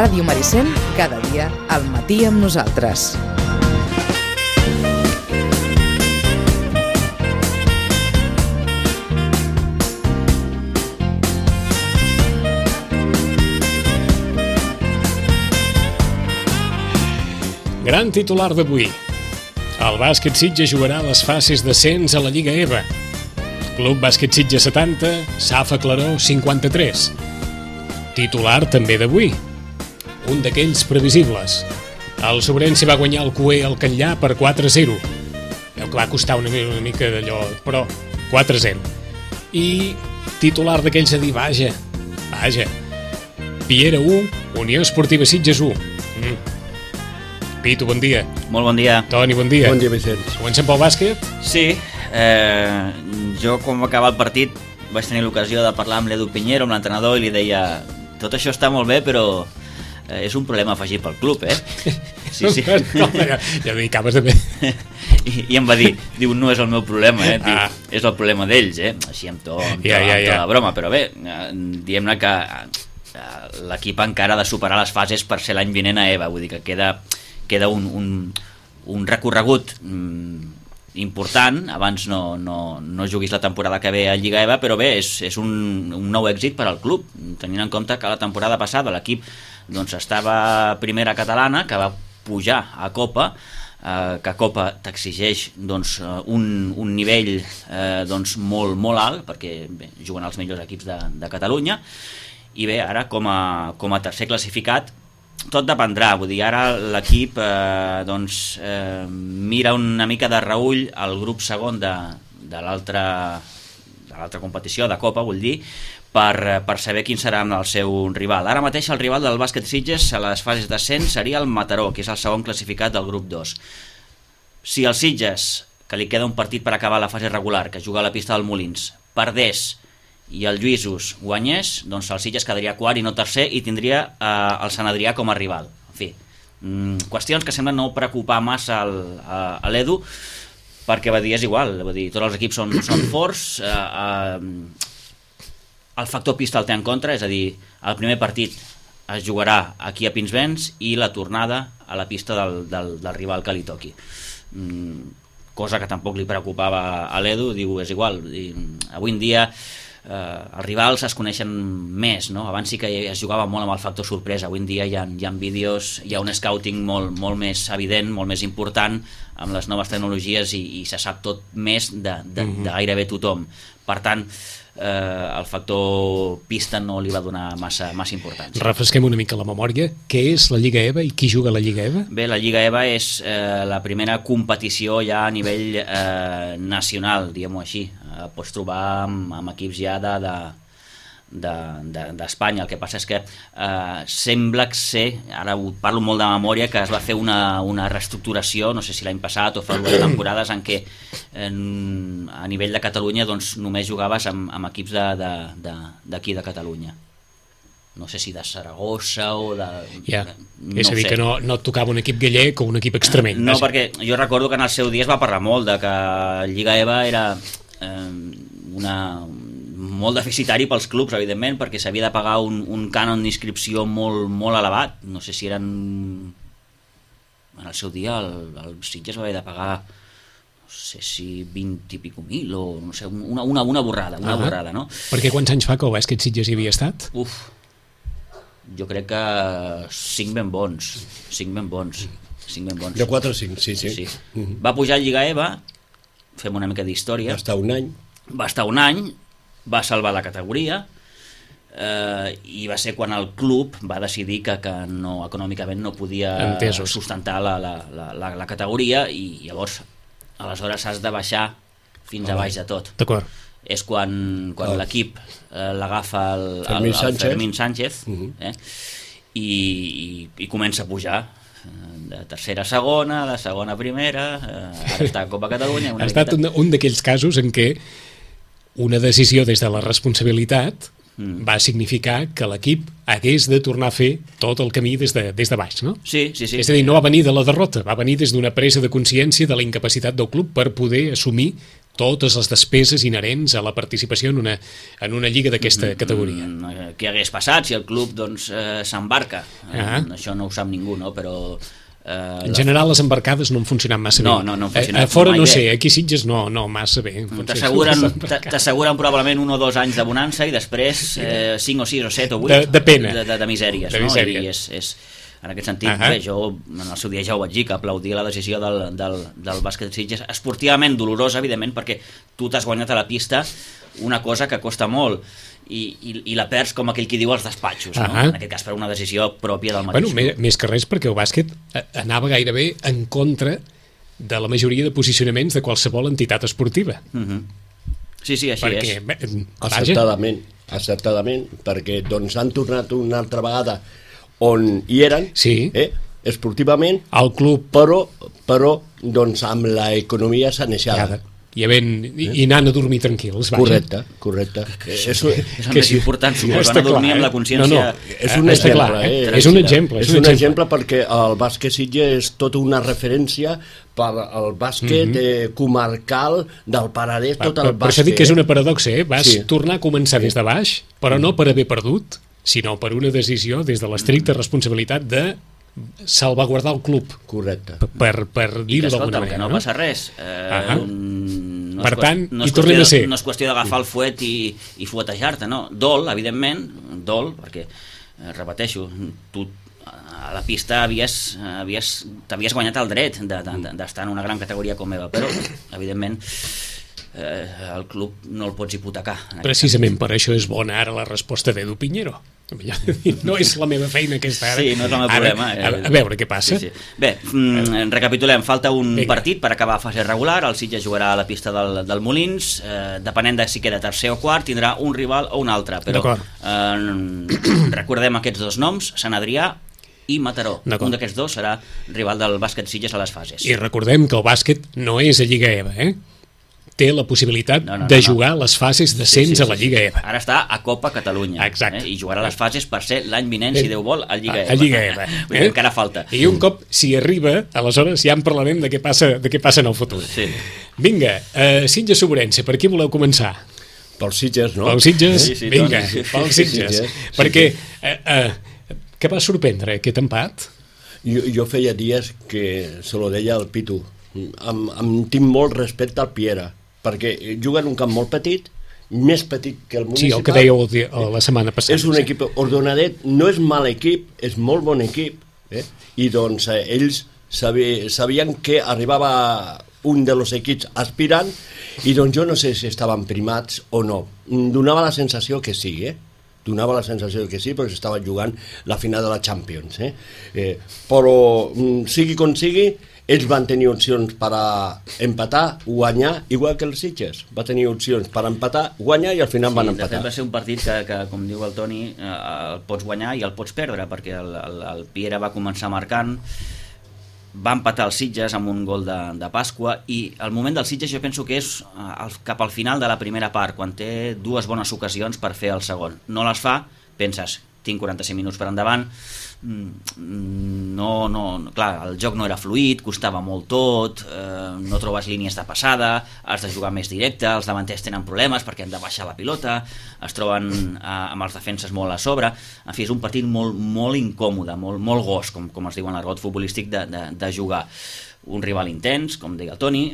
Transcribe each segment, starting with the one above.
Ràdio Maricel, cada dia al matí amb nosaltres. Gran titular d'avui. El bàsquet Sitges jugarà a les fases d'ascens a la Lliga EVA. Club Bàsquet Sitges 70, Safa Claró 53. Titular també d'avui. Un d'aquells previsibles. El Sobrense va guanyar el Cué al Catllar per 4-0. Que va costar una mica d'allò, però 4-0. I titular d'aquells a dir, vaja. Piera 1, Unió Esportiva Sitges 1. Pitu, bon dia. Molt bon dia. Toni, bon dia. Bon dia, Vicenç. Comencem pel bàsquet? Sí, jo com va acabar el partit vaig tenir l'ocasió de parlar amb l'Edu Piñero, amb l'entrenador, i li deia: tot això està molt bé, però és un problema afegit pel club, eh? Sí. No, ja dic, acabes de bé. I em va dir, diu, no és el meu problema, diu, és el problema d'ells, així amb tota la broma, però bé, diguem-ne que l'equip encara ha de superar les fases per ser l'any vinent a EVA, vull dir que queda un recorregut important. Abans no juguis la temporada que ve a Lliga EVA, però bé, és un nou èxit per al club, tenint en compte que la temporada passada l'equip estava primera catalana, que va pujar a Copa, que Copa t'exigeix un nivell molt alt, perquè juguen els millors equips de Catalunya, i bé, ara com a tercer classificat tot dependrà, vull dir, ara l'equip mira una mica de reüll el grup segon de l'altra competició, de Copa, vull dir, per saber quin serà el seu rival. Ara mateix el rival del bàsquet Sitges a les fases d'ascens seria el Mataró, que és el segon classificat del grup 2. Si el Sitges, que li queda un partit per acabar la fase regular, que juga a la pista del Molins, perdés i el Lluïsos guanyés, doncs el Sitges quedaria quart i no tercer i tindria el Sant Adrià com a rival. En fi, qüestions que semblen no preocupar massa a l'Edu, perquè va dir, és igual, va dir, tots els equips són forts, el factor pista el té en contra, és a dir, el primer partit es jugarà aquí a Pinsbens i la tornada a la pista del rival que li toqui. Cosa que tampoc li preocupava a l'Edu, diu, és igual, avui en dia els rivals es coneixen més, no? Abans sí que es jugava molt amb el factor sorpresa, avui en dia hi ha vídeos, hi ha un scouting molt més evident, molt més important amb les noves tecnologies i se sap tot més de gairebé tothom. Per tant, el factor pista no li va donar massa importància. Refresquem una mica la memòria. Què és la Lliga EVA i qui juga a la Lliga EVA? Bé, la Lliga EVA és la primera competició ja a nivell nacional, diguem-ho així. Pots trobar amb equips ja d'Espanya. El que passa és que sembla ser, ara ho parlo molt de memòria, que es va fer una reestructuració, no sé si l'any passat o fa dues temporades, en què a nivell de Catalunya només jugaves amb equips d'aquí de Catalunya. No sé si de Saragossa o de... És a dir, que no et tocava un equip gallec o un equip extremeny. No, perquè jo recordo que en el seu dia es va parlar molt de que Lliga EVA era molt deficitari pels clubs, evidentment, perquè s'havia de pagar un cànon d'inscripció molt elevat. No sé si eren... En el seu dia el Sitges va haver de pagar, no sé si 20 i pico mil o no sé, una borrada, borrada, no? Perquè quants anys fa que el bàsquet Sitges hi havia estat? Jo crec que 5 ben bons. De 4 o 5, sí. Va pujar a Lliga EVA, fem una mica d'història. Va estar un any, va salvar la categoria, i va ser quan el club va decidir que econòmicament no podia sustentar la categoria, i llavors aleshores has de baixar fins a baix de tot. D'acord. És quan l'equip l'agafa el Fermín Sánchez, i comença a pujar de tercera a segona, de segona a primera, ara està a Copa Catalunya. Ha estat un d'aquells casos en què una decisió des de la responsabilitat va significar que l'equip hagués de tornar a fer tot el camí des de baix, no? Sí. És a dir, no va venir de la derrota, va venir des d'una presa de consciència de la incapacitat del club per poder assumir totes les despeses inherents a la participació en una lliga d'aquesta categoria. Què hagués passat si el club doncs, s'embarca? Això no ho sap ningú, no? Però... en general les embarcades no han funcionat massa bé. No han funcionat a fora no bé. sé, aquí Sitges no massa bé. T'asseguren probablement 1 o 2 anys de bonança i després 5 o 6 o 7 o 8 de pena. De misèries. De misèria. I és, en aquest sentit, bé, jo en el seu dia ja ho vaig dir, que aplaudia la decisió del bàsquet Sitges, esportivament dolorosa, evidentment, perquè tu t'has guanyat a la pista una cosa que costa molt i la perds com aquell qui diu als despatxos, no? En aquest cas per una decisió pròpia del mateix. Bueno, més que res perquè el bàsquet anava gairebé en contra de la majoria de posicionaments de qualsevol entitat esportiva. Sí, així perquè, és. Acertadament, perquè doncs han tornat una altra vegada on hi eren, esportivament, al club, però doncs amb l'economia sanejada. I anant a dormir tranquils. Correcte. És el més important, suposo, anar a dormir amb la consciència... És un exemple. És un exemple perquè el bàsquet Sitges és tota una referència per al bàsquet comarcal del Penedès, tot el bàsquet. Per això dic que és una paradoxa, vas tornar a començar des de baix, però no per haver perdut, sinó per una decisió des de l'estricta responsabilitat de salvaguardar el club. Correcte. Per dir-ho d'alguna manera. Que no passa res. Per tant, hi tornem a ser. No és qüestió d'agafar el fuet i fuetejar-te, no. Dol, evidentment, perquè, repeteixo, tu a la pista t'havies guanyat el dret d'estar en una gran categoria com EVA, però, evidentment, el club no el pots hipotecar. Precisament per això és bona ara la resposta d'Edu Piñero. No és la meva feina aquesta ara. Sí, no és el meu problema. A veure què passa. Sí. Bé, recapitulem, falta un partit per acabar fase regular, el Sitges jugarà a la pista del Molins, depenent de si queda tercer o quart, tindrà un rival o un altre, però recordem aquests 2 noms, Sant Adrià i Mataró. Un d'aquests 2 serà rival del bàsquet Sitges a les fases. I recordem que el bàsquet no és a Lliga EVA, té la possibilitat de jugar les fases d'ascens a la Lliga EVA. Ara està a Copa Catalunya. Exacte. I jugarà les fases per ser l'any vinent, si Déu vol, a Lliga EVA. A Lliga EVA. Encara falta. I un cop s'hi arriba, aleshores ja en parlarem de què passa en el futur. Sí. Vinga, Sitges Sobrense, per qui voleu començar? Pels Sitges, no? Pels Sitges? Sí, vinga, pels Sitges. Perquè què va sorprendre aquest empat? Jo feia dies que se lo deia al Pitu. Em tinc molt respecte al Piera, perquè juga en un camp molt petit, més petit que el municipal. Sí, el que dèieu la setmana passada. És un equip ordenadet, no és mal equip, és molt bon equip, i doncs ells sabien que arribava un dels equips aspirant, i doncs jo no sé si estaven primats o no. Donava la sensació que sí, donava la sensació que sí, perquè s'estava jugant la final de la Champions. Però sigui com sigui, ells van tenir opcions per empatar, guanyar, igual que els Sitges. Va tenir opcions per empatar, guanyar i al final van empatar. De fet va ser un partit que com diu el Toni, el pots guanyar i el pots perdre, perquè el Piera va començar marcant, va empatar els Sitges amb un gol de Pasqua, i el moment dels Sitges jo penso que és cap al final de la primera part, quan té 2 bones ocasions per fer el segon. No les fa, penses, tinc 45 minuts per endavant, clar, el joc no era fluid, costava molt tot, no trobes línies de passada, has de jugar més directe, els davanters tenen problemes perquè han de baixar la pilota, es troben amb els defenses molt a sobre. En fi, és un partit molt, molt incòmode, molt gos, com es diu en l'argot futbolístic, de jugar. Un rival intens, com deia el Toni,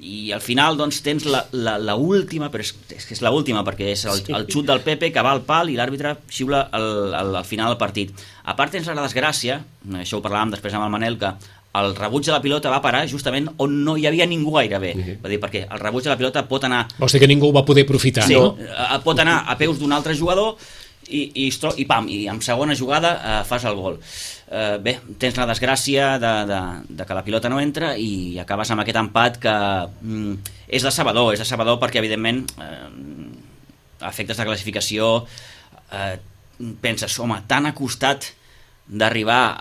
i al final doncs tens la última, però és que és l'última perquè és el xut del Pepe que va al pal i l'àrbitre xiula al final del partit. A part tens la desgràcia, això ho parlàvem després amb el Manel, que el rebuig de la pilota va parar justament on no hi havia ningú gairebé. Va dir, perquè el rebuig de la pilota pot anar... Vols dir que ningú ho va poder aprofitar, sí, no? Pot anar a peus d'un altre jugador i en segona jugada fas el gol. Bé, tens la desgràcia de que la pilota no entra i acabes amb aquest empat que és decebedor perquè evidentment a efectes de classificació penses, home, tan acostat d'arribar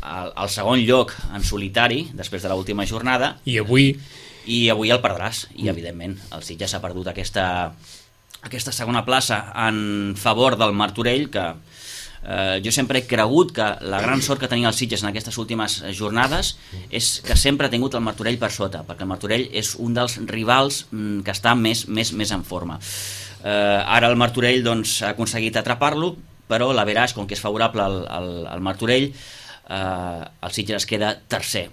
al segon lloc en solitari després de l'última jornada, i avui el perdràs, i evidentment el Sitges ha perdut aquesta segona plaça en favor del Martorell, que Jo sempre he cregut que la gran sort que tenia el Sitges en aquestes últimes jornades és que sempre ha tingut el Martorell per sota, perquè el Martorell és un dels rivals que està més en forma. Ara el Martorell doncs, ha aconseguit atrapar-lo, però l'Averaix, com que és favorable al Martorell, el Sitges es queda tercer.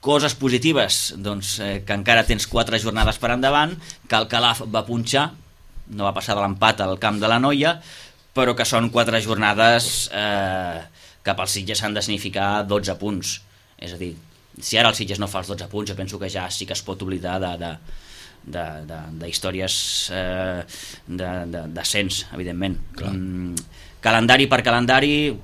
Coses positives, doncs, que encara tens 4 jornades per endavant, que el Calaf va punxar, no va passar de l'empat al camp de la Noia, però que són 4 jornades que pel Sitges s'han de significar 12 punts. És a dir, si ara el Sitges no fa els 12 punts, jo penso que ja sí que es pot oblidar de històries d'ascens, evidentment. Calendari per calendari,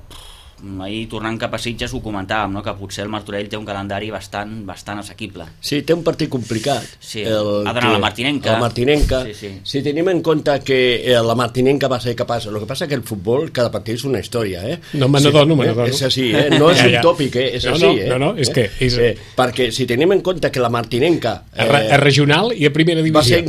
ahir tornant cap a Sitges ho comentàvem, no? Que potser el Martorell té un calendari bastant assequible. Sí, té un partit complicat. Sí, ha d'anar a la Martinenca. La Martinenca. Sí. Si tenim en compte que la Martinenca va ser capaç, el que passa que el futbol, cada partit és una història, No me n'adono. És així, no és un tòpic, és així. No, és que... Perquè si tenim en compte que la Martinenca... A regional i a primera divisió.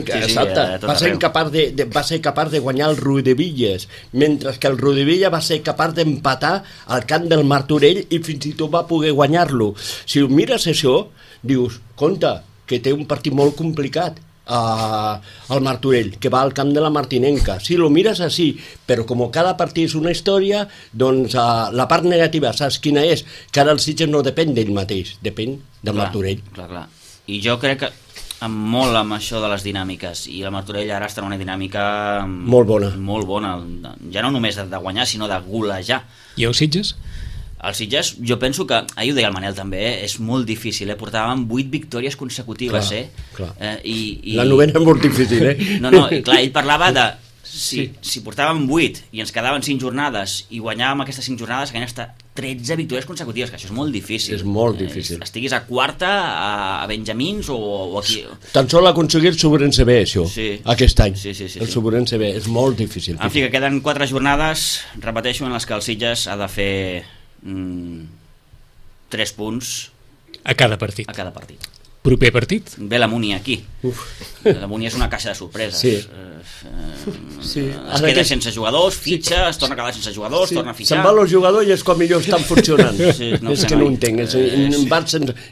Va ser capaç de guanyar el Rodevilles, mentre que el Rodevilla va ser capaç d'empatar al camp del Martorell i fins i tot va poder guanyar-lo. Si mires això, dius, compte, que té un partit molt complicat al Martorell, que va al camp de la Martinenca. Si lo mires així, però com cada partit és una història, doncs la part negativa, saps quina és? Que ara el Sitges no depèn d'ell mateix, depèn del Martorell. Clar. I jo crec que molt amb això de les dinàmiques, i el Martorell ara està en una dinàmica molt bona, ja no només de guanyar sinó de golejar. I el Sitges? El Sitges, jo penso que, ahir ho deia el Manel també, és molt difícil, portàvem 8 victòries consecutives, clar. I la novena és molt difícil, No, i clar, ell parlava de si portàvem 8 i ens quedaven 5 jornades i guanyàvem aquestes 5 jornades, que hasta 13 victòries consecutives, que això és molt difícil. És molt difícil. Estiguis a quarta, a Benjamins o aquí... Tan sol aconseguir el Sobrense B, això, aquest any. Sí. El Sobrense B, és molt difícil. En fi, que queden 4 jornades, repeteixo, en les que el Sitges ha de fer 3 punts a cada partit. Proper partit? Ve la Múnia aquí. La Múnia és una caixa de sorpreses. Es queda sense jugadors, fitxa, es torna a quedar sense jugadors, torna a fitxar. Se'n van els jugadors i és com millor estan funcionant. És que no ho entenc.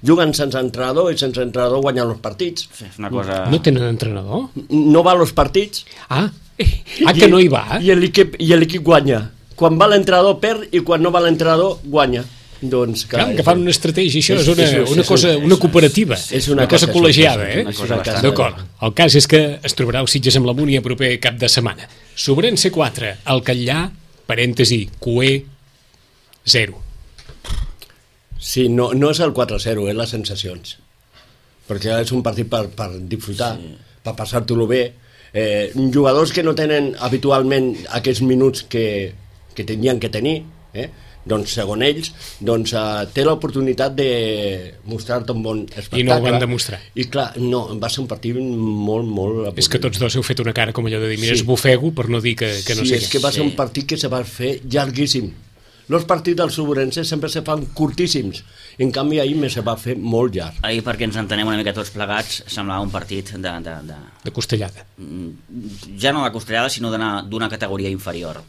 Juguen sense entrenador i sense entrenador guanyen els partits. És una cosa... No tenen entrenador? No va als partits. Que no hi va? I l'equip guanya. Quan va l'entrenador perd i quan no va l'entrenador guanya. Doncs, clar, que fan una estratègia, això és una cosa, una cooperativa, és una cosa col·legiada, D'acord. El cas és que es trobarà el Sitges amb la Múnia proper cap de setmana. Sobrense 4, el Catllà, parèntesi, Cué 0. Sí, no és el 4-0, és les sensacions, perquè és un partit per disfrutar, per passar-t'ho bé. Jugadors que no tenen habitualment aquests minuts que tenien que tenir, doncs segons ells té l'oportunitat de mostrar-te un bon espectacle. I no ho van demostrar. I clar, no, va ser un partit molt... És que tots dos heu fet una cara com allò de dir, mira, esbufego, per no dir que no sé. Sí, és que va ser un partit que se va fer llarguíssim. Els partits del Sobrense sempre se fan curtíssims, en canvi ahir se va fer molt llarg. Ahir, perquè ens entenem una mica tots plegats, semblava un partit de costellada. Ja no de costellada, sinó d'una categoria inferior.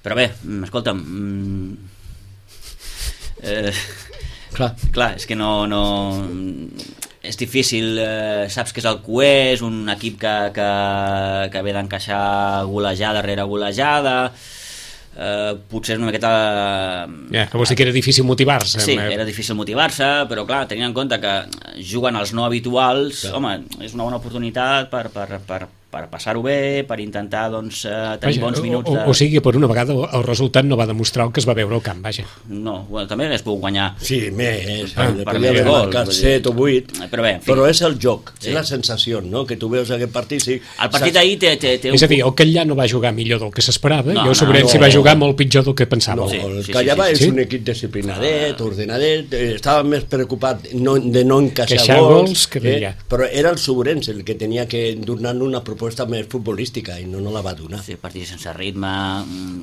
Però bé, escolta'm, clar, és que no és difícil, saps que és el Cué, és un equip que ve d'encaixar golejada rere golejada, potser és una miqueta... que vols dir que era difícil motivar-se. Sí, era difícil motivar-se, però clar, tenint en compte que juguen els no habituals, home, és una bona oportunitat per passar-ho bé, per intentar tenir bons minuts o sigui, per una vegada el resultat no va demostrar el que es va veure al camp, vaja. No, també n'és pogut guanyar. Sí, més, podria haver marcat 7 o 8, però és el joc, és la sensació, no?, que tu veus aquest partit. El partit d'ahir té... És a dir, el Catllà no va jugar millor del que s'esperava, i el Sobrense va jugar molt pitjor del que pensava. No, el Catllà és un equip disciplinadet, ordenadet, estava més preocupat de no encaixar gols, però era el Sobrense el que tenia que donar una proposta més futbolística i no la va donar. Sí, partit sense ritme,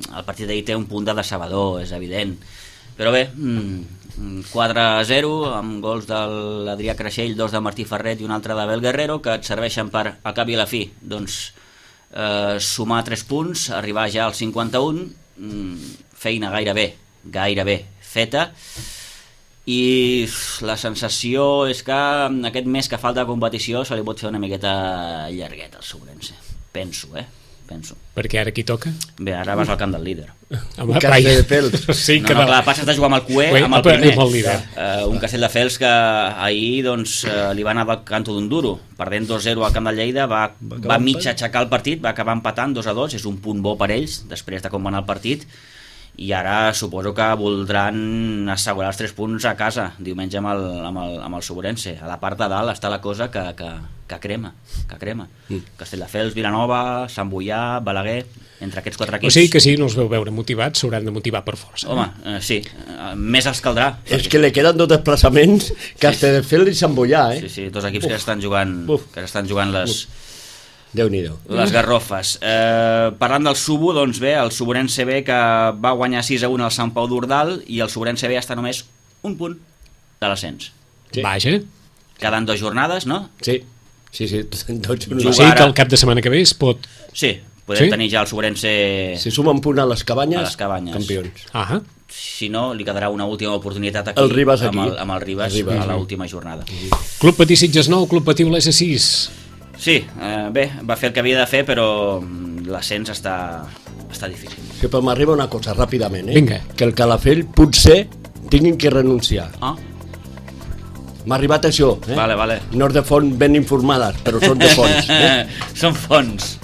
el partit d'ahir té un punt de decebedor, és evident, però bé, 4-0 amb gols de l'Adrià Creixell, 2 de Martí Ferret i un altre d'Abel Guerrero, que et serveixen per, al cap i a la fi, doncs sumar 3 punts, arribar ja als 51, feina gairebé feta, i la sensació és que aquest mes que falta de competició se li pot fer una miqueta llargueta al Sobrense, penso. Perquè ara qui toca? Bé, ara vas al camp del líder. Home, Castelldefels. Sí, No, clar, passes de jugar amb el Cué amb el primer. Amb el líder. Un Castelldefels que ahir doncs, li va anar del canto d'un duro, perdent 2-0 al camp del Lleida, va mig aixecar el partit, va acabar empatant 2-2, és un punt bo per ells després de com va anar el partit, i ara suposo que voldran assegurar els 3 punts a casa diumenge amb el Sobrense. A la part de dalt està la cosa que crema. Castelldefels, Vilanova, Sant Boià, Balaguer, entre aquests 4 equips. O sigui que si no els veu veure motivats, s'hauran de motivar per força. Home, sí, més els caldrà. És que li queden 2 desplaçaments, Castelldefels i Sant Boià, Sí, 2 equips que estan jugant Déu-n'hi-do. les garrofes. Parlant del Subo, doncs bé, el Sobrense B que va guanyar 6-1 al Sant Pau d'Ordal, i el Sobrense B està només un punt de l'ascens. Sí. Vaja. Queden 2 jornades, no? Sí. O sigui que el cap de setmana que ve es pot... Sí, podem tenir ja el Sobrense... Si suma un punt a les cabanyes, campions. Ah. Si no, li quedarà una última oportunitat aquí, el Ribas amb el Ribas a l'última jornada. Club Patí Sitges 9, Club Patí Olesa 6. Sí, bé, va fer el que havia de fer, però l'ascens està difícil. Que però m'arriba una cosa ràpidament, Vinga. Que el Calafell potser tinguin que renunciar. M'ha arribat això, Vale. No és de fons ben informades, però són de fons. Són fonts.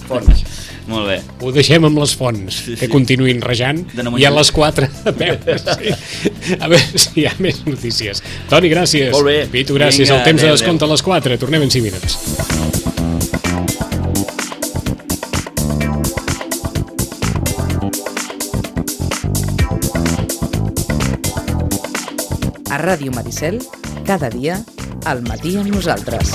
Molt bé. Ho deixem amb les fonts, que continuïn rejant, i a les 4 a veure si hi ha més notícies. Toni, gràcies. Molt bé. Pitu, gràcies. Vinga, El temps de adéu, descompte a les 4. Tornem en 5 minuts. A Ràdio Maricel, cada dia, al matí amb nosaltres.